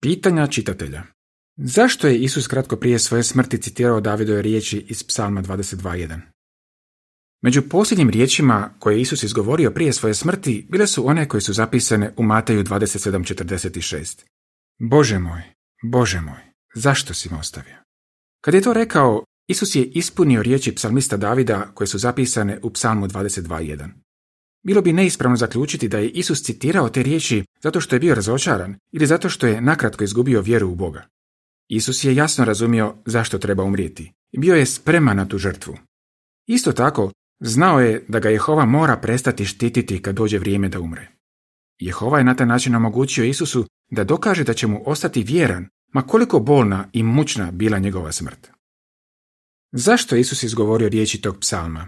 Pitanja čitatelja. Zašto je Isus kratko prije svoje smrti citirao Davidove riječi iz Psalma 22.1? Među posljednjim riječima koje je Isus izgovorio prije svoje smrti bile su one koje su zapisane u Mateju 27.46. Bože moj, zašto si me ostavio? Kad je to rekao, Isus je ispunio riječi psalmista Davida koje su zapisane u Psalmu 22.1. Bilo bi neispravno zaključiti da je Isus citirao te riječi zato što je bio razočaran ili zato što je nakratko izgubio vjeru u Boga. Isus je jasno razumio zašto treba umrijeti i bio je spreman na tu žrtvu. Isto tako, znao je da ga Jehova mora prestati štititi kad dođe vrijeme da umre. Jehova je na taj način omogućio Isusu da dokaže da će mu ostati vjeran, ma koliko bolna i mučna bila njegova smrt. Zašto je Isus izgovorio riječi tog psalma?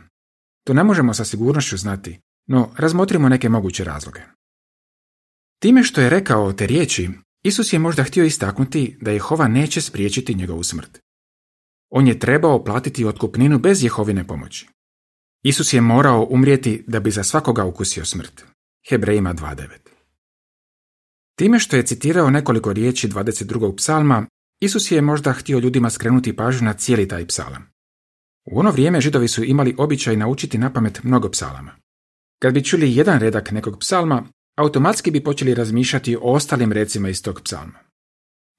To ne možemo sa sigurnošću znati, no razmotrimo neke moguće razloge. Time što je rekao te riječi, Isus je možda htio istaknuti da Jehova neće spriječiti njegovu smrt. On je trebao platiti otkupninu bez Jehovine pomoći. Isus je morao umrijeti da bi za svakoga ukusio smrt. Hebrejima 2.9. Time što je citirao nekoliko riječi 22. psalma, Isus je možda htio ljudima skrenuti pažnju na cijeli taj psalam. U ono vrijeme Židovi su imali običaj naučiti napamet mnogo psalama. Kad bi čuli jedan redak nekog psalma, automatski bi počeli razmišljati o ostalim recima iz tog psalma.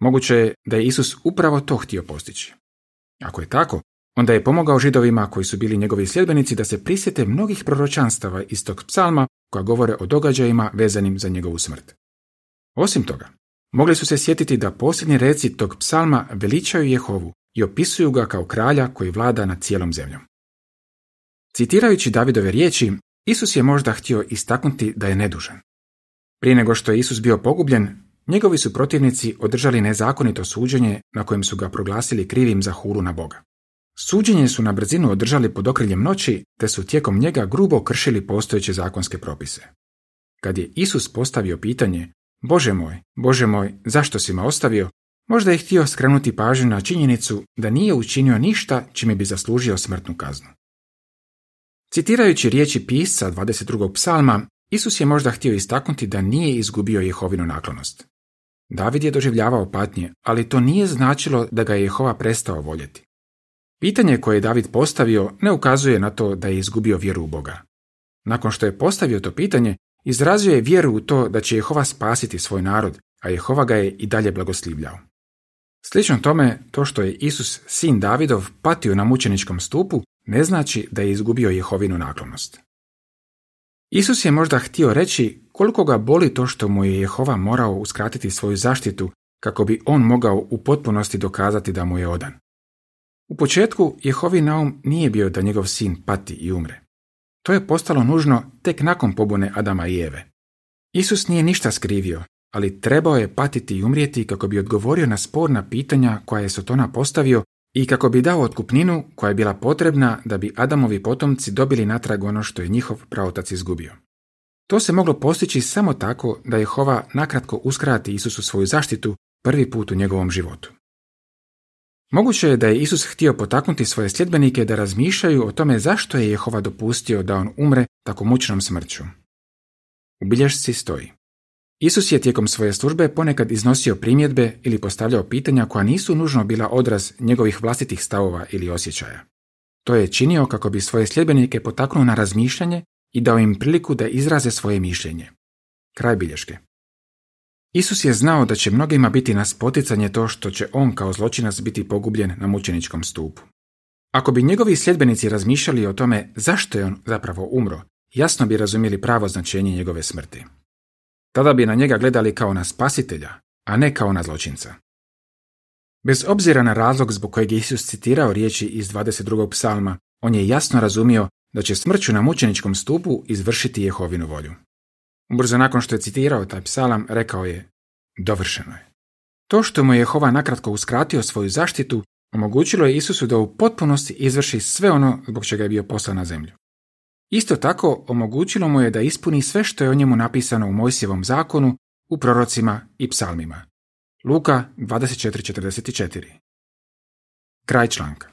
Moguće je da je Isus upravo to htio postići. Ako je tako, onda je pomogao Židovima koji su bili njegovi sljedbenici da se prisjete mnogih proročanstava iz tog psalma koja govore o događajima vezanim za njegovu smrt. Osim toga, mogli su se sjetiti da posljednji reci tog psalma veličaju Jehovu i opisuju ga kao kralja koji vlada nad cijelom zemljom. Citirajući Davidove riječi, Isus je možda htio istaknuti da je nedužan. Prije nego što je Isus bio pogubljen, njegovi su protivnici održali nezakonito suđenje na kojem su ga proglasili krivim za hulu na Boga. Suđenje su na brzinu održali pod okriljem noći, te su tijekom njega grubo kršili postojeće zakonske propise. Kad je Isus postavio pitanje, Bože moj, zašto si me ostavio, možda je htio skrenuti pažnju na činjenicu da nije učinio ništa čime bi zaslužio smrtnu kaznu. Citirajući riječi pisca 22. psalma, Isus je možda htio istaknuti da nije izgubio Jehovinu naklonost. David je doživljavao patnje, ali to nije značilo da ga je Jehova prestao voljeti. Pitanje koje je David postavio ne ukazuje na to da je izgubio vjeru u Boga. Nakon što je postavio to pitanje, izrazio je vjeru u to da će Jehova spasiti svoj narod, a Jehova ga je i dalje blagoslivljao. Slično tome, to što je Isus, sin Davidov, patio na mučeničkom stupu, ne znači da je izgubio Jehovinu naklonost. Isus je možda htio reći koliko ga boli to što mu je Jehova morao uskratiti svoju zaštitu kako bi on mogao u potpunosti dokazati da mu je odan. U početku Jehovin naum nije bio da njegov sin pati i umre. To je postalo nužno tek nakon pobune Adama i Eve. Isus nije ništa skrivio, ali trebao je patiti i umrijeti kako bi odgovorio na sporna pitanja koja je Sotona postavio i kako bi dao otkupninu koja je bila potrebna da bi Adamovi potomci dobili natrag ono što je njihov praotac izgubio. To se moglo postići samo tako da Jehova nakratko uskrati Isusu svoju zaštitu prvi put u njegovom životu. Moguće je da je Isus htio potaknuti svoje sljedbenike da razmišljaju o tome zašto je Jehova dopustio da on umre tako mučnom smrću. U bilješci stoji: Isus je tijekom svoje službe ponekad iznosio primjedbe ili postavljao pitanja koja nisu nužno bila odraz njegovih vlastitih stavova ili osjećaja. To je činio kako bi svoje sljedbenike potaknuo na razmišljanje i dao im priliku da izraze svoje mišljenje. Kraj bilješke. Isus je znao da će mnogima biti na spoticanje to što će on kao zločinac biti pogubljen na mučeničkom stupu. Ako bi njegovi sljedbenici razmišljali o tome zašto je on zapravo umro, jasno bi razumjeli pravo značenje njegove smrti. Tada bi na njega gledali kao na spasitelja, a ne kao na zločinca. Bez obzira na razlog zbog kojeg je Isus citirao riječi iz 22. psalma, on je jasno razumio da će smrću na mučeničkom stupu izvršiti Jehovinu volju. Ubrzo nakon što je citirao taj psalam, rekao je: dovršeno je. To što mu je Jehova nakratko uskratio svoju zaštitu, omogućilo je Isusu da u potpunosti izvrši sve ono zbog čega je bio poslan na zemlju. Isto tako, omogućilo mu je da ispuni sve što je o njemu napisano u Mojsijevom zakonu, u prorocima i psalmima. Luka 24:44. Kraj članka.